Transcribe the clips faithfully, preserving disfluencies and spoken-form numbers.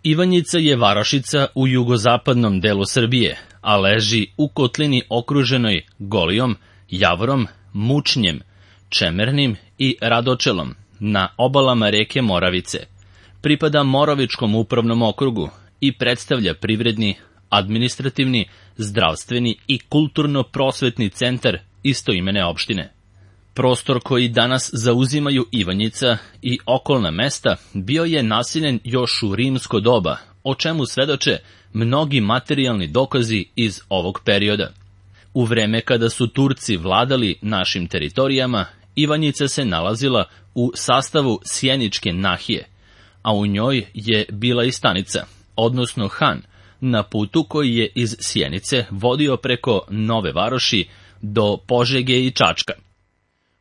Ivanjica je varošica u jugozapadnom delu Srbije, a leži u kotlini okruženoj Golijom, Javorom, Mučnjem, Čemernim i Radočelom, na obalama reke Moravice. Pripada Moravičkom upravnom okrugu i predstavlja privredni, administrativni, zdravstveni i kulturno-prosvetni centar istoimene opštine. Prostor koji danas zauzimaju Ivanjica i okolna mesta bio je naseljen još u rimsko doba, o čemu svedoče mnogi materijalni dokazi iz ovog perioda. U vreme kada su Turci vladali našim teritorijama, Ivanjica se nalazila u sastavu Sjeničke nahije, a u njoj je bila i stanica, odnosno han, na putu koji je iz Sjenice vodio preko Nove Varoši do Požege i Čačka.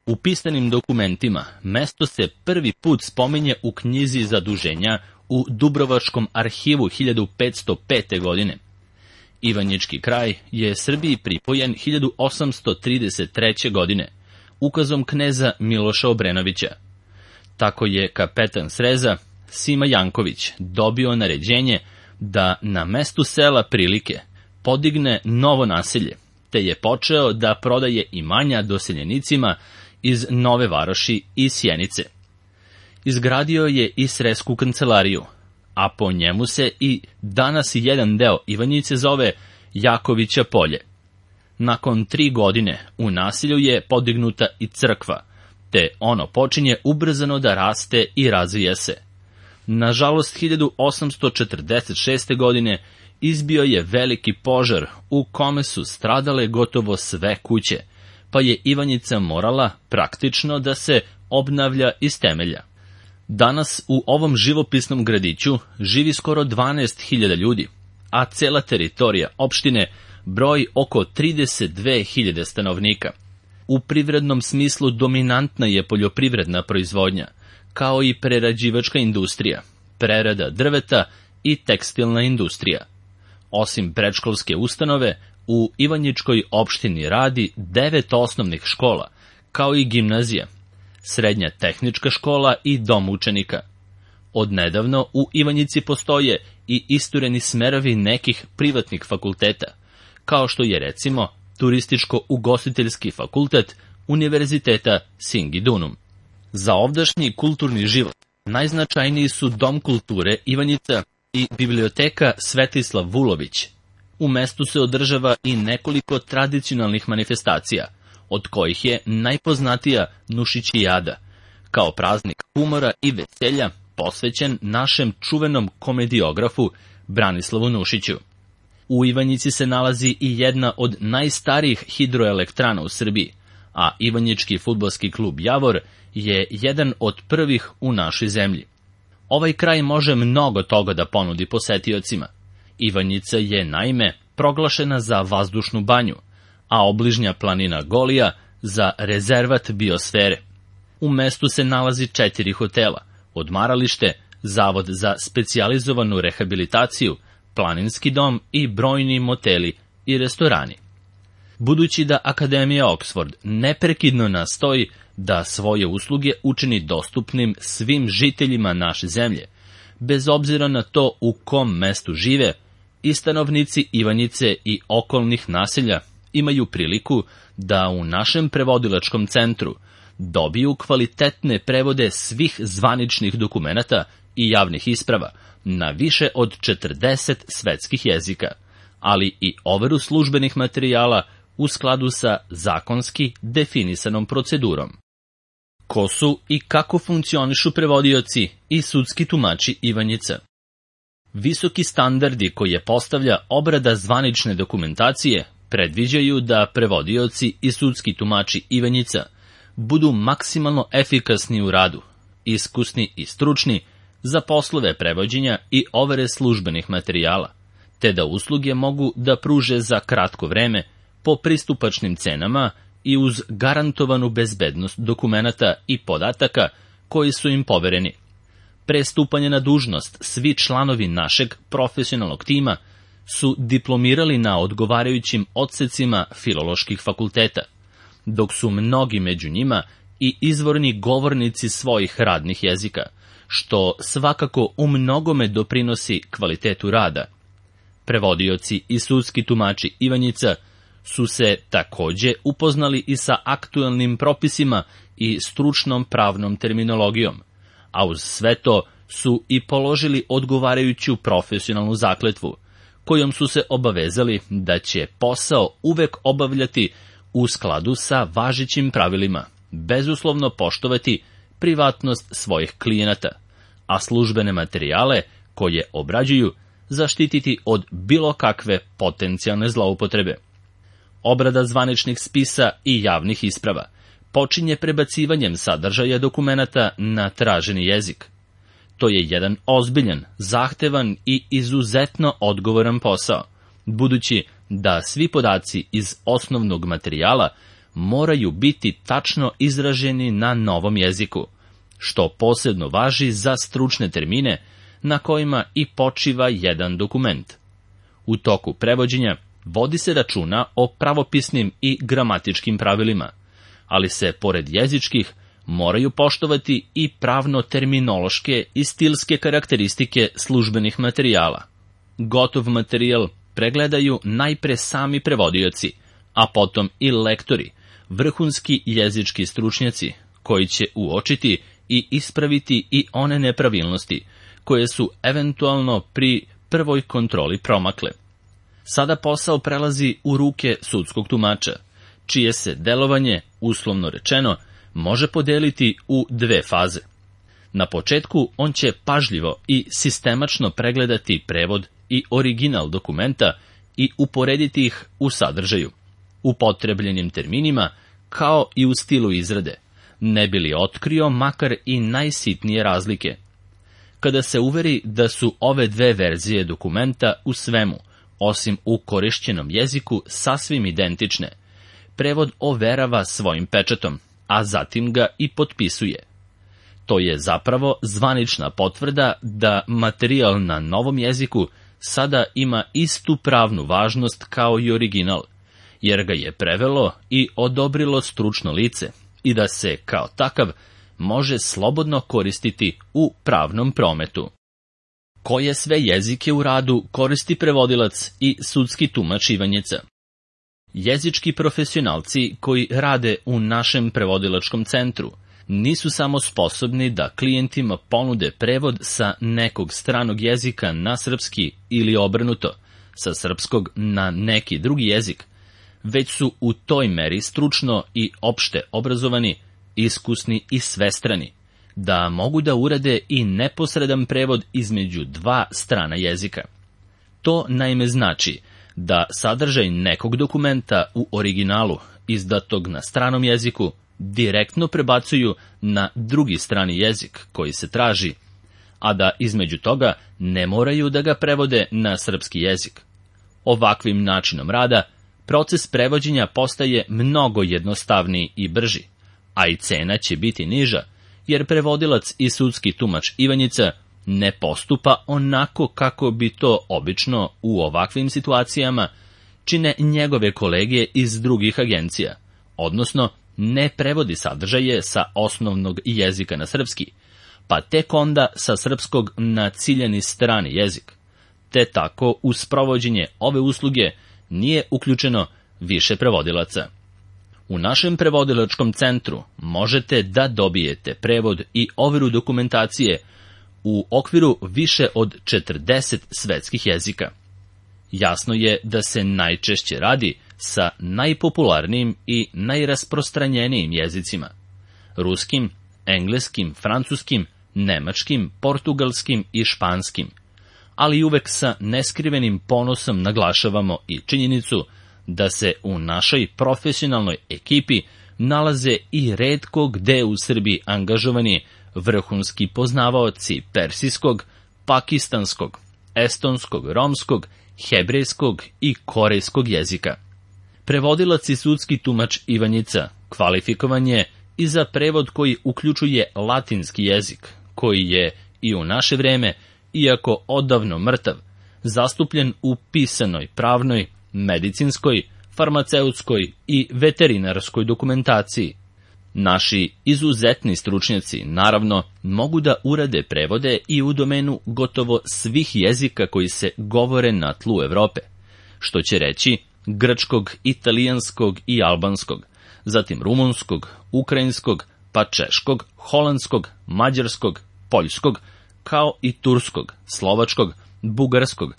U pisanim dokumentima mesto se prvi put spominje u knjizi zaduženja u Dubrovačkom arhivu hiljadu petsto pete. godine. Ivanjički kraj je Srbiji pripojen hiljadu osamsto trideset treće. godine, ukazom kneza Miloša Obrenovića. Tako je kapetan Sreza, Sima Janković, dobio naređenje da na mestu sela Prilike podigne novo naselje, te je počeo da prodaje imanja doseljenicima iz Nove Varoši i Sjenice. Izgradio je i sresku kancelariju, a po njemu se i danas jedan deo Ivanjice zove Jakovića polje. Nakon tri godine u naselju je podignuta i crkva, te ono počinje ubrzano da raste i razvija se. Nažalost, hiljadu osamsto četrdeset šeste. godine izbio je veliki požar u kome su stradale gotovo sve kuće, pa je Ivanjica morala praktično da se obnavlja iz temelja. Danas u ovom živopisnom gradiću živi skoro dvanaest hiljada ljudi, a cela teritorija opštine broji oko trideset dve hiljade stanovnika. U privrednom smislu dominantna je poljoprivredna proizvodnja, kao i prerađivačka industrija, prerada drveta i tekstilna industrija. Osim predškolske ustanove, u Ivanjičkoj opštini radi devet osnovnih škola, kao i gimnazija, srednja tehnička škola i dom učenika. Odnedavno u Ivanjici postoje i istureni smerovi nekih privatnih fakulteta, kao što je recimo Turističko-ugostiteljski fakultet Univerziteta Singidunum. Za ovdašnji kulturni život najznačajniji su Dom kulture Ivanjica i biblioteka Svetislav Vulović. U mestu se održava i nekoliko tradicionalnih manifestacija, od kojih je najpoznatija Nušićijada, kao praznik humora i veselja posvećen našem čuvenom komediografu Branislavu Nušiću. U Ivanjici se nalazi i jedna od najstarijih hidroelektrana u Srbiji, a Ivanjički fudbalski klub Javor je jedan od prvih u našoj zemlji. Ovaj kraj može mnogo toga da ponudi posetiocima. Ivanjica je, naime, proglašena za vazdušnu banju, a obližnja planina Golija za rezervat biosfere. U mestu se nalazi četiri hotela, odmaralište, zavod za specijalizovanu rehabilitaciju, planinski dom i brojni moteli i restorani. Budući da Akademija Oxford neprekidno nastoji da svoje usluge učini dostupnim svim žiteljima naše zemlje, bez obzira na to u kom mestu žive, i stanovnici Ivanjice i okolnih naselja imaju priliku da u našem prevodilačkom centru dobiju kvalitetne prevode svih zvaničnih dokumenata i javnih isprava na više od četrdeset svetskih jezika, ali i overu službenih materijala u skladu sa zakonski definisanom procedurom. Ko su i kako funkcionišu prevodioci i sudski tumači Ivanjica? Visoki standardi koje postavlja obrada zvanične dokumentacije predviđaju da prevodioci i sudski tumači Ivanjica budu maksimalno efikasni u radu, iskusni i stručni za poslove prevođenja i overe službenih materijala, te da usluge mogu da pruže za kratko vreme po pristupačnim cenama i uz garantovanu bezbednost dokumenata i podataka koji su im povereni. Pre stupanja na dužnost svi članovi našeg profesionalnog tima su diplomirali na odgovarajućim odsecima filoloških fakulteta, dok su mnogi među njima i izvorni govornici svojih radnih jezika, što svakako u mnogome doprinosi kvalitetu rada. Prevodioci i sudski tumači Ivanjica su se takođe upoznali i sa aktuelnim propisima i stručnom pravnom terminologijom, a uz sve to su i položili odgovarajuću profesionalnu zakletvu, kojom su se obavezali da će posao uvek obavljati u skladu sa važećim pravilima, bezuslovno poštovati privatnost svojih klijenata, a službene materijale koje obrađuju zaštititi od bilo kakve potencijalne zloupotrebe. Obrada zvaničnih spisa i javnih isprava počinje prebacivanjem sadržaja dokumenata na traženi jezik. To je jedan ozbiljan, zahtevan i izuzetno odgovoran posao, budući da svi podaci iz osnovnog materijala moraju biti tačno izraženi na novom jeziku, što posebno važi za stručne termine na kojima i počiva jedan dokument. U toku prevođenja vodi se računa o pravopisnim i gramatičkim pravilima, ali se, pored jezičkih, moraju poštovati i pravno-terminološke i stilske karakteristike službenih materijala. Gotov materijal pregledaju najpre sami prevodioci, a potom i lektori, vrhunski jezički stručnjaci, koji će uočiti i ispraviti i one nepravilnosti, koje su eventualno pri prvoj kontroli promakle. Sada posao prelazi u ruke sudskog tumača, čije se delovanje, uslovno rečeno, može podeliti u dve faze. Na početku on će pažljivo i sistemačno pregledati prevod i original dokumenta i uporediti ih u sadržaju, upotrebljenim terminima, kao i u stilu izrade, ne bi li otkrio makar i najsitnije razlike. Kada se uveri da su ove dve verzije dokumenta u svemu, osim u korišćenom jeziku, sasvim identične, prevod overava svojim pečatom, a zatim ga i potpisuje. To je zapravo zvanična potvrda da materijal na novom jeziku sada ima istu pravnu važnost kao i original, jer ga je prevelo i odobrilo stručno lice i da se, kao takav, može slobodno koristiti u pravnom prometu. Koje sve jezike u radu koristi prevodilac i sudski tumač Ivanjica? Jezički profesionalci koji rade u našem prevodilačkom centru nisu samo sposobni da klijentima ponude prevod sa nekog stranog jezika na srpski ili obrnuto, sa srpskog na neki drugi jezik, već su u toj meri stručno i opšte obrazovani, iskusni i svestrani, da mogu da urade i neposredan prevod između dva strana jezika. To naime znači da sadržaj nekog dokumenta u originalu, izdatog na stranom jeziku, direktno prebacuju na drugi strani jezik koji se traži, a da između toga ne moraju da ga prevode na srpski jezik. Ovakvim načinom rada, proces prevođenja postaje mnogo jednostavniji i brži, a i cena će biti niža, jer prevodilac i sudski tumač Ivanjica ne postupa onako kako bi to obično u ovakvim situacijama čine njegove kolege iz drugih agencija, odnosno ne prevodi sadržaje sa osnovnog jezika na srpski, pa tek onda sa srpskog na ciljani strani jezik, te tako u sprovođenje ove usluge nije uključeno više prevodilaca. U našem prevodilačkom centru možete da dobijete prevod i overu dokumentacije u okviru više od četrdeset svetskih jezika. Jasno je da se najčešće radi sa najpopularnijim i najrasprostranjenijim jezicima: ruskim, engleskim, francuskim, nemačkim, portugalskim i španskim, ali uvek sa neskrivenim ponosom naglašavamo i činjenicu da se u našoj profesionalnoj ekipi nalaze i retko gde u Srbiji angažovani vrhunski poznavaoci persijskog, pakistanskog, estonskog, romskog, hebrejskog i korejskog jezika. Prevodilac i sudski tumač Ivanjica kvalifikovan je i za prevod koji uključuje latinski jezik, koji je i u naše vreme, iako odavno mrtav, zastupljen u pisanoj, pravnoj, medicinskoj, farmaceutskoj i veterinarskoj dokumentaciji. Naši izuzetni stručnjaci, naravno, mogu da urade prevode i u domenu gotovo svih jezika koji se govore na tlu Evrope, što će reći grčkog, italijanskog i albanskog, zatim rumunskog, ukrajinskog, pa češkog, holandskog, mađarskog, poljskog, kao i turskog, slovačkog, bugarskog,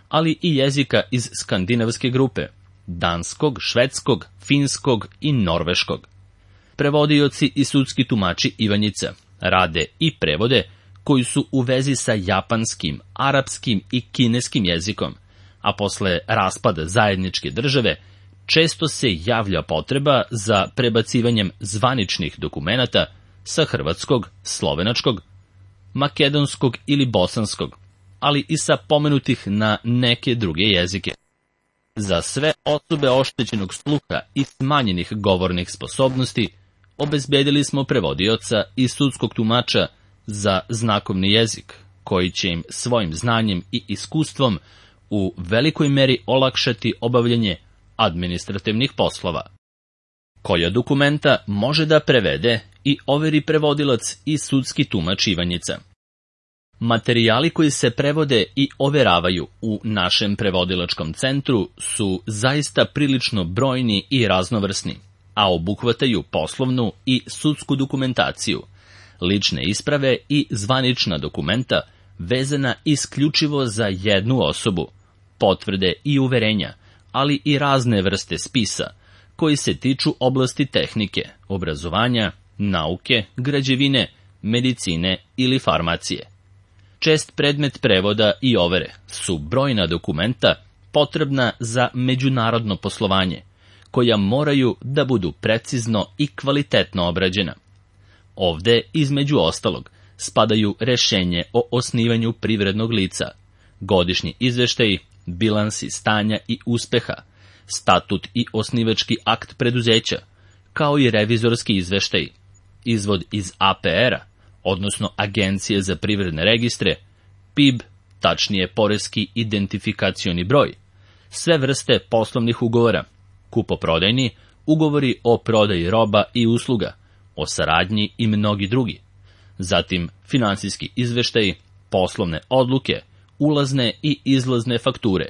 ali i jezika iz skandinavske grupe, danskog, švedskog, finskog i norveškog. Prevodioci i sudski tumači Ivanjica rade i prevode koji su u vezi sa japanskim, arapskim i kineskim jezikom, a posle raspada zajedničke države često se javlja potreba za prebacivanjem zvaničnih dokumenata sa hrvatskog, slovenačkog, makedonskog ili bosanskog, ali i sa pomenutih na neke druge jezike. Za sve osobe oštećenog sluha i smanjenih govornih sposobnosti obezbedili smo prevodioca i sudskog tumača za znakovni jezik, koji će im svojim znanjem i iskustvom u velikoj meri olakšati obavljanje administrativnih poslova. Koja dokumenta može da prevede i overi prevodilac i sudski tumač Ivanjica? Materijali koji se prevode i overavaju u našem prevodilačkom centru su zaista prilično brojni i raznovrsni, a obuhvataju poslovnu i sudsku dokumentaciju, lične isprave i zvanična dokumenta vezana isključivo za jednu osobu, potvrde i uverenja, ali i razne vrste spisa, koji se tiču oblasti tehnike, obrazovanja, nauke, građevine, medicine ili farmacije. Čest predmet prevoda i overe su brojna dokumenta potrebna za međunarodno poslovanje, koja moraju da budu precizno i kvalitetno obrađena. Ovde, između ostalog, spadaju rešenje o osnivanju privrednog lica, godišnji izveštaji, bilansi stanja i uspeha, statut i osnivački akt preduzeća, kao i revizorski izveštaj, izvod iz A P R-a, odnosno Agencije za privredne registre, P I B, tačnije poreski identifikacioni broj, sve vrste poslovnih ugovora, kupoprodajni, ugovori o prodaji roba i usluga, o saradnji i mnogi drugi, zatim finansijski izveštaji, poslovne odluke, ulazne i izlazne fakture,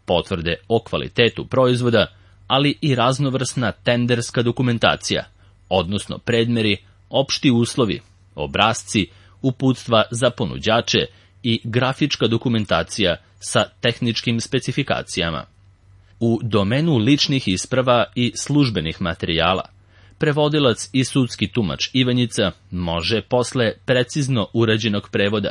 potvrde o kvalitetu proizvoda, ali i raznovrsna tenderska dokumentacija, odnosno predmeri, opšti uslovi, obrasci, uputstva za ponuđače i grafička dokumentacija sa tehničkim specifikacijama. U domenu ličnih isprava i službenih materijala, prevodilac i sudski tumač Ivanjica može posle precizno urađenog prevoda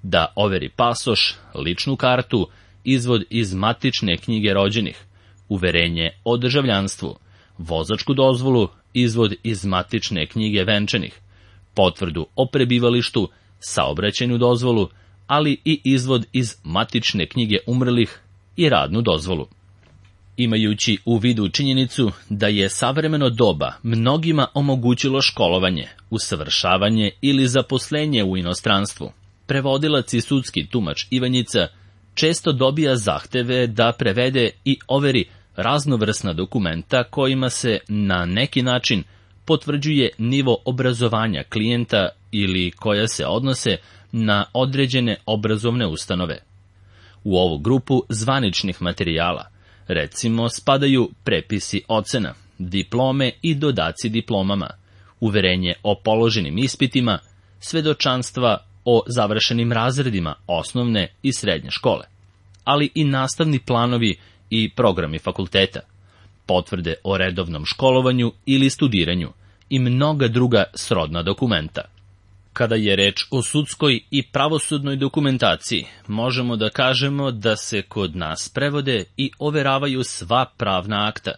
da overi pasoš, ličnu kartu, izvod iz matične knjige rođenih, uverenje o državljanstvu, vozačku dozvolu, izvod iz matične knjige venčanih, potvrdu o prebivalištu, saobraćajnu dozvolu, ali i izvod iz matične knjige umrlih i radnu dozvolu. Imajući u vidu činjenicu da je savremeno doba mnogima omogućilo školovanje, usavršavanje ili zaposlenje u inostranstvu, prevodilac i sudski tumač Ivanjica često dobija zahteve da prevede i overi raznovrsna dokumenta kojima se na neki način potvrđuje nivo obrazovanja klijenta ili koja se odnose na određene obrazovne ustanove. U ovu grupu zvaničnih materijala, recimo, spadaju prepisi ocena, diplome i dodaci diplomama, uverenje o položenim ispitima, svedočanstva o završenim razredima osnovne i srednje škole, ali i nastavni planovi i programi fakulteta, potvrde o redovnom školovanju ili studiranju i mnoga druga srodna dokumenta. Kada je reč o sudskoj i pravosudnoj dokumentaciji, možemo da kažemo da se kod nas prevode i overavaju sva pravna akta,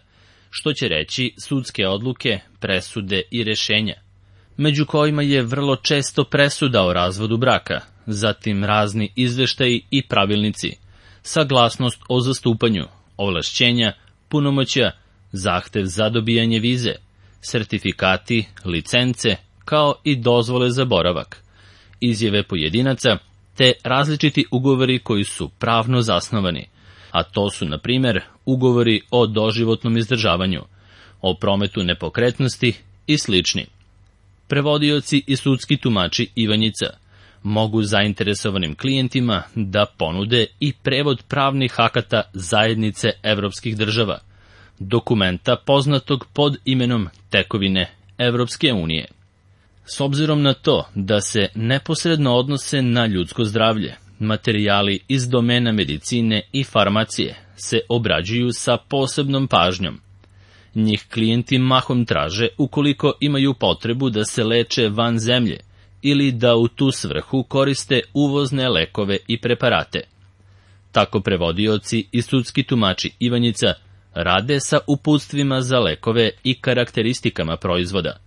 što će reći sudske odluke, presude i rešenja, među kojima je vrlo često presuda o razvodu braka, zatim razni izveštaji i pravilnici, saglasnost o zastupanju, ovlašćenja, punomoćja, zahtev za dobijanje vize, sertifikati, licence, kao i dozvole za boravak, izjave pojedinaca, te različiti ugovori koji su pravno zasnovani, a to su, na primer, ugovori o doživotnom izdržavanju, o prometu nepokretnosti i slični. Prevodioci i sudski tumači Ivanjica mogu zainteresovanim klijentima da ponude i prevod pravnih akata zajednice evropskih država, dokumenta poznatog pod imenom tekovine Evropske unije. S obzirom na to da se neposredno odnose na ljudsko zdravlje, materijali iz domena medicine i farmacije se obrađuju sa posebnom pažnjom. Njih klijenti mahom traže ukoliko imaju potrebu da se leče van zemlje ili da u tu svrhu koriste uvozne lekove i preparate. Tako prevodioci i sudski tumači Ivanjica rade sa uputstvima za lekove i karakteristikama proizvoda,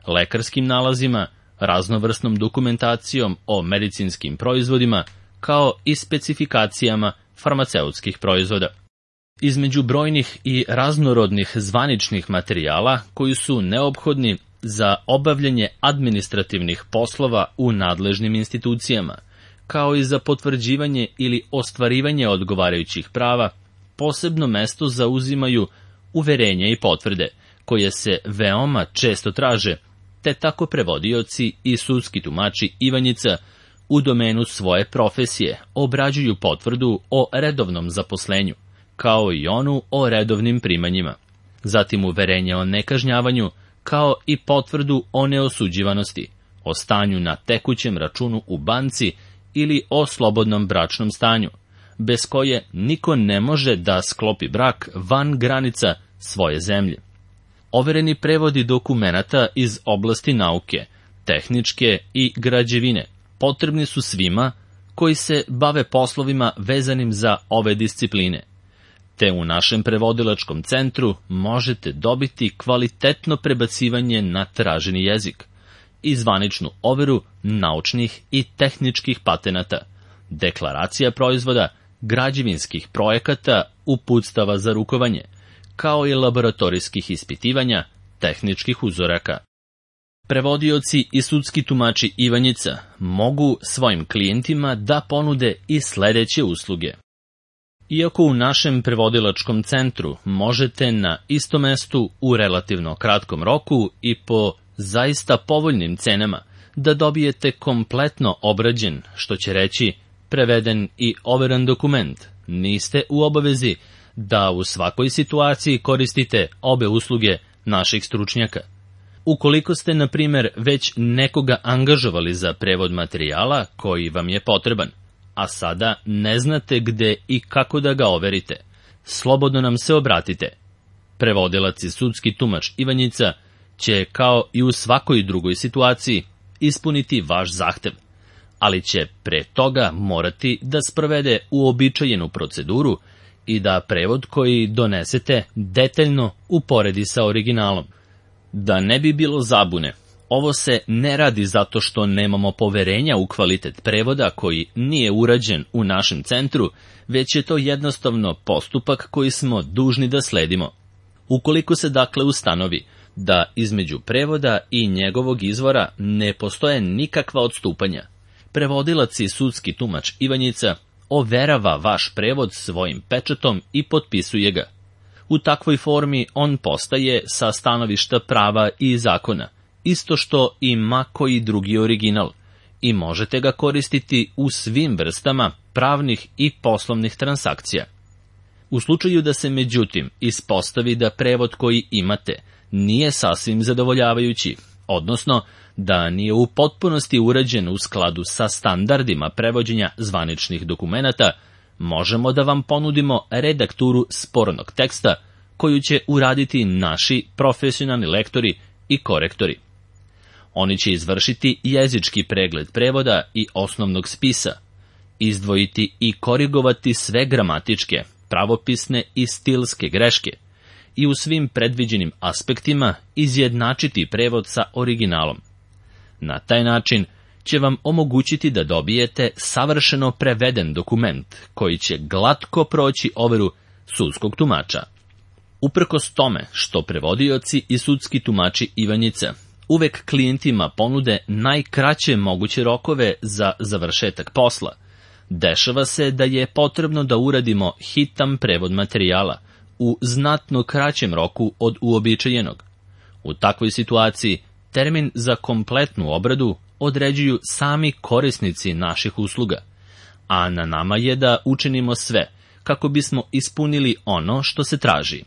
lekarskim nalazima, raznovrsnom dokumentacijom o medicinskim proizvodima, kao i specifikacijama farmaceutskih proizvoda. Između brojnih i raznorodnih zvaničnih materijala koji su neophodni za obavljanje administrativnih poslova u nadležnim institucijama, kao i za potvrđivanje ili ostvarivanje odgovarajućih prava, posebno mesto zauzimaju uverenja i potvrde, koje se veoma često traže, te tako prevodioci i sudski tumači Ivanjica u domenu svoje profesije obrađuju potvrdu o redovnom zaposlenju, kao i onu o redovnim primanjima, zatim uverenje o nekažnjavanju, kao i potvrdu o neosuđivanosti, o stanju na tekućem računu u banci ili o slobodnom bračnom stanju, bez koje niko ne može da sklopi brak van granica svoje zemlje. Overeni prevodi dokumenata iz oblasti nauke, tehničke i građevine potrebni su svima koji se bave poslovima vezanim za ove discipline, te u našem prevodilačkom centru možete dobiti kvalitetno prebacivanje na traženi jezik i zvaničnu overu naučnih i tehničkih patenata, deklaracija proizvoda, građevinskih projekata, uputstava za rukovanje, kao i laboratorijskih ispitivanja, tehničkih uzoraka. Prevodioci i sudski tumači Ivanjica mogu svojim klijentima da ponude i sledeće usluge. Iako u našem prevodilačkom centru možete na istom mestu u relativno kratkom roku i po zaista povoljnim cenama da dobijete kompletno obrađen, što će reći preveden i overan dokument, niste u obavezi da u svakoj situaciji koristite obe usluge naših stručnjaka. Ukoliko ste, na primer, već nekoga angažovali za prevod materijala koji vam je potreban, a sada ne znate gde i kako da ga overite, slobodno nam se obratite. Prevodilac i sudski tumač Ivanjica će, kao i u svakoj drugoj situaciji, ispuniti vaš zahtev, ali će pre toga morati da sprovede uobičajenu proceduru i da prevod koji donesete detaljno uporedi sa originalom. Da ne bi bilo zabune, ovo se ne radi zato što nemamo poverenja u kvalitet prevoda koji nije urađen u našem centru, već je to jednostavno postupak koji smo dužni da sledimo. Ukoliko se dakle ustanovi da između prevoda i njegovog izvora ne postoje nikakva odstupanja, prevodilac i sudski tumač Ivanjica overava vaš prevod svojim pečatom i potpisuje ga. U takvoj formi on postaje sa stanovišta prava i zakona, isto što ima koji drugi original, i možete ga koristiti u svim vrstama pravnih i poslovnih transakcija. U slučaju da se međutim ispostavi da prevod koji imate nije sasvim zadovoljavajući, odnosno da nije u potpunosti urađen u skladu sa standardima prevođenja zvaničnih dokumenata, možemo da vam ponudimo redakturu spornog teksta koju će uraditi naši profesionalni lektori i korektori. Oni će izvršiti jezički pregled prevoda i osnovnog spisa, izdvojiti i korigovati sve gramatičke, pravopisne i stilske greške i u svim predviđenim aspektima izjednačiti prevod sa originalom. Na taj način će vam omogućiti da dobijete savršeno preveden dokument koji će glatko proći overu sudskog tumača. Uprkos tome što prevodioci i sudski tumači Ivanjica uvek klijentima ponude najkraće moguće rokove za završetak posla, dešava se da je potrebno da uradimo hitan prevod materijala u znatno kraćem roku od uobičajenog. U takvoj situaciji termin za kompletnu obradu određuju sami korisnici naših usluga, a na nama je da učinimo sve kako bismo ispunili ono što se traži.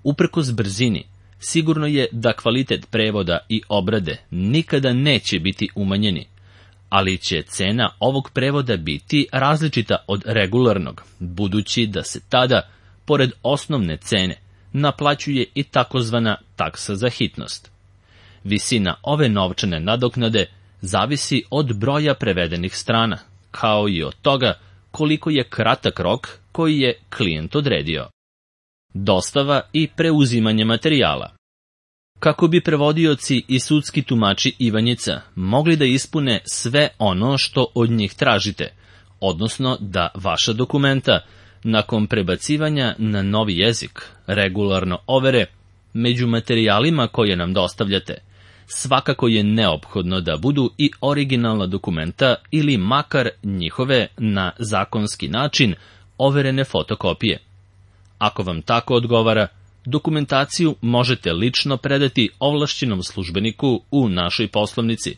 Uprkos brzini, sigurno je da kvalitet prevoda i obrade nikada neće biti umanjeni, ali će cena ovog prevoda biti različita od regularnog, budući da se tada, pored osnovne cene, naplaćuje i takozvana taksa za hitnost. Visina ove novčane nadoknade zavisi od broja prevedenih strana, kao i od toga koliko je kratak rok koji je klijent odredio. Dostava i preuzimanje materijala. Kako bi prevodioci i sudski tumači Ivanjica mogli da ispune sve ono što od njih tražite, odnosno da vaša dokumenta, nakon prebacivanja na novi jezik, regularno overe, među materijalima koje nam dostavljate, svakako je neophodno da budu i originalna dokumenta ili makar njihove na zakonski način overene fotokopije. Ako vam tako odgovara, dokumentaciju možete lično predati ovlašćenom službeniku u našoj poslovnici,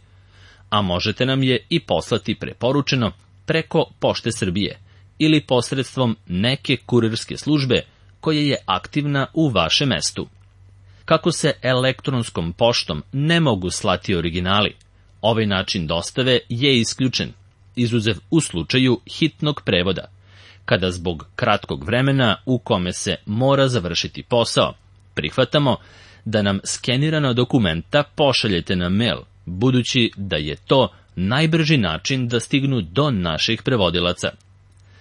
a možete nam je i poslati preporučeno preko Pošte Srbije ili posredstvom neke kurirske službe koja je aktivna u vašem mestu. Kako se elektronskom poštom ne mogu slati originali, ovaj način dostave je isključen, izuzev u slučaju hitnog prevoda, kada zbog kratkog vremena u kome se mora završiti posao, prihvatamo da nam skenirana dokumenta pošaljete na mail, budući da je to najbrži način da stignu do naših prevodilaca.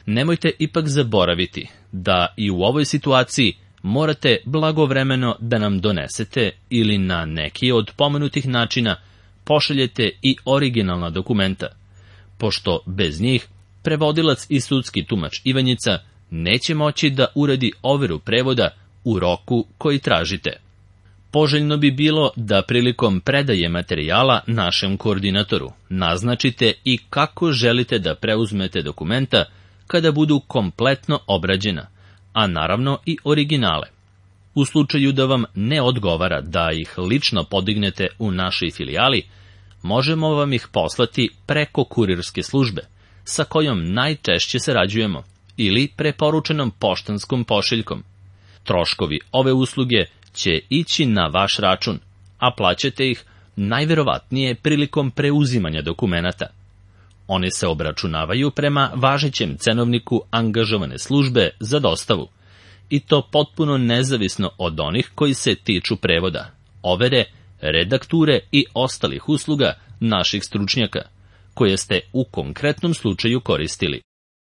Nemojte ipak zaboraviti da i u ovoj situaciji morate blagovremeno da nam donesete ili na neki od pomenutih načina pošaljete i originalna dokumenta, pošto bez njih prevodilac i sudski tumač Ivanjica neće moći da uradi overu prevoda u roku koji tražite. Poželjno bi bilo da prilikom predaje materijala našem koordinatoru naznačite i kako želite da preuzmete dokumenta kada budu kompletno obrađena, a naravno i originale. U slučaju da vam ne odgovara da ih lično podignete u našoj filijali, možemo vam ih poslati preko kurirske službe, sa kojom najčešće sarađujemo, ili preporučenom poštanskom pošiljkom. Troškovi ove usluge će ići na vaš račun, a plaćate ih najverovatnije prilikom preuzimanja dokumenata. Oni se obračunavaju prema važećem cenovniku angažovane službe za dostavu, i to potpuno nezavisno od onih koji se tiču prevoda, overe, redakture i ostalih usluga naših stručnjaka, koje ste u konkretnom slučaju koristili.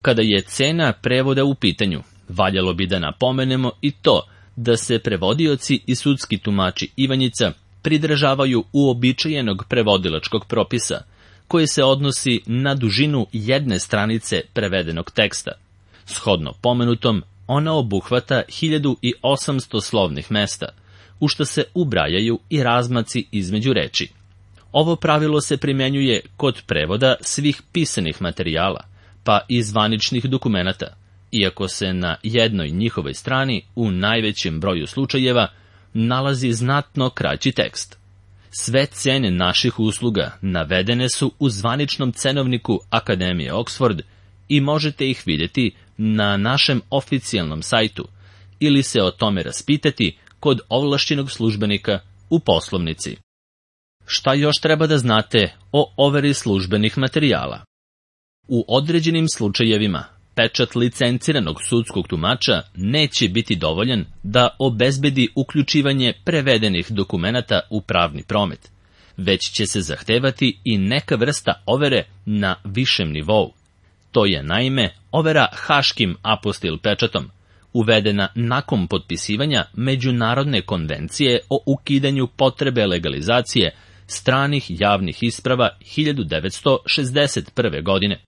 Kada je cena prevoda u pitanju, valjalo bi da napomenemo i to da se prevodioci i sudski tumači Ivanjica pridržavaju uobičajenog prevodilačkog propisa, koje se odnosi na dužinu jedne stranice prevedenog teksta. Shodno pomenutom, ona obuhvata hiljadu osamsto slovnih mesta, u što se ubrajaju i razmaci između reči. Ovo pravilo se primjenjuje kod prevoda svih pisanih materijala, pa i zvaničnih dokumenata, iako se na jednoj njihovoj strani u najvećem broju slučajeva nalazi znatno kraći tekst. Sve cene naših usluga navedene su u zvaničnom cenovniku Akademije Oxford i možete ih vidjeti na našem oficijalnom sajtu ili se o tome raspitati kod ovlašćenog službenika u poslovnici. Šta još treba da znate o overi službenih materijala? U određenim slučajevima pečat licenciranog sudskog tumača neće biti dovoljan da obezbedi uključivanje prevedenih dokumenata u pravni promet, već će se zahtevati i neka vrsta overe na višem nivou. To je naime overa haškim apostil pečatom, uvedena nakon potpisivanja Međunarodne konvencije o ukidanju potrebe legalizacije stranih javnih isprava hiljadu devetsto šezdeset prve. godine.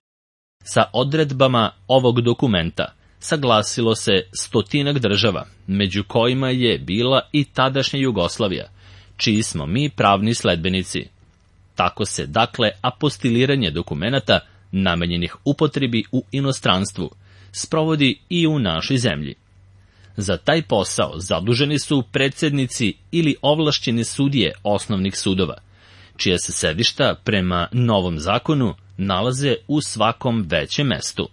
Sa odredbama ovog dokumenta saglasilo se stotinak država, među kojima je bila i tadašnja Jugoslavija, čiji smo mi pravni sledbenici. Tako se, dakle, apostiliranje dokumenata namenjenih upotrebi u inostranstvu sprovodi i u našoj zemlji. Za taj posao zaduženi su predsjednici ili ovlašćene sudije osnovnih sudova, čija se sedišta prema novom zakonu nalaze u svakom većem mestu.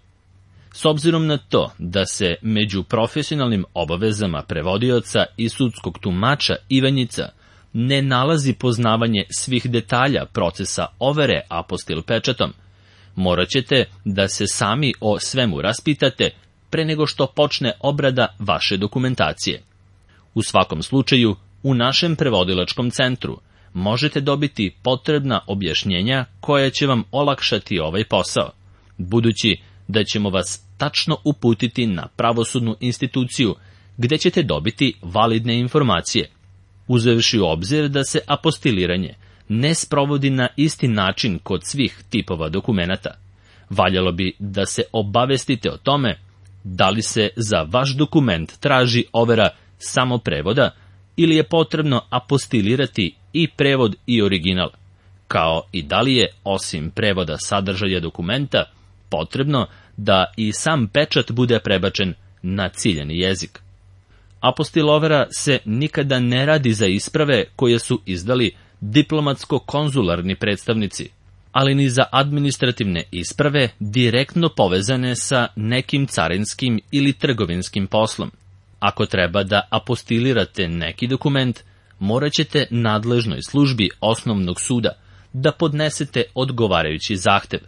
S obzirom na to da se među profesionalnim obavezama prevodioca i sudskog tumača Ivanjica ne nalazi poznavanje svih detalja procesa overe apostil pečatom, morat ćete da se sami o svemu raspitate pre nego što počne obrada vaše dokumentacije. U svakom slučaju, u našem prevodilačkom centru možete dobiti potrebna objašnjenja koja će vam olakšati ovaj posao, budući da ćemo vas tačno uputiti na pravosudnu instituciju gde ćete dobiti validne informacije, uzevši u obzir da se apostiliranje ne sprovodi na isti način kod svih tipova dokumenata. Valjalo bi da se obavestite o tome da li se za vaš dokument traži overa samo prevoda ili je potrebno apostilirati i prevod i original, kao i da li je, osim prevoda sadržaja dokumenta, potrebno da i sam pečat bude prebačen na ciljani jezik. Apostil overa se nikada ne radi za isprave koje su izdali diplomatsko-konzularni predstavnici, ali ni za administrativne isprave direktno povezane sa nekim carinskim ili trgovinskim poslom. Ako treba da apostilirate neki dokument, morat ćete nadležnoj službi osnovnog suda da podnesete odgovarajući zahtev,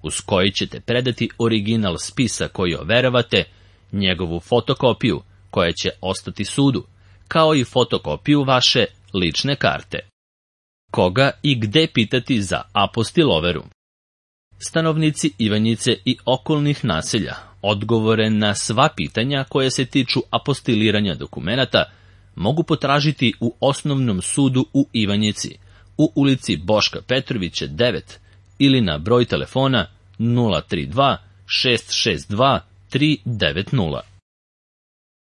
uz koji ćete predati original spisa koji overavate, njegovu fotokopiju koja će ostati sudu, kao i fotokopiju vaše lične karte. Koga i gde pitati za apostil overu? Stanovnici Ivanjice i okolnih naselja odgovore na sva pitanja koje se tiču apostiliranja dokumenata mogu potražiti u osnovnom sudu u Ivanjici, u ulici Boška Petrovića devet ili na broj telefona nula tri dva šest šest dva tri devet nula.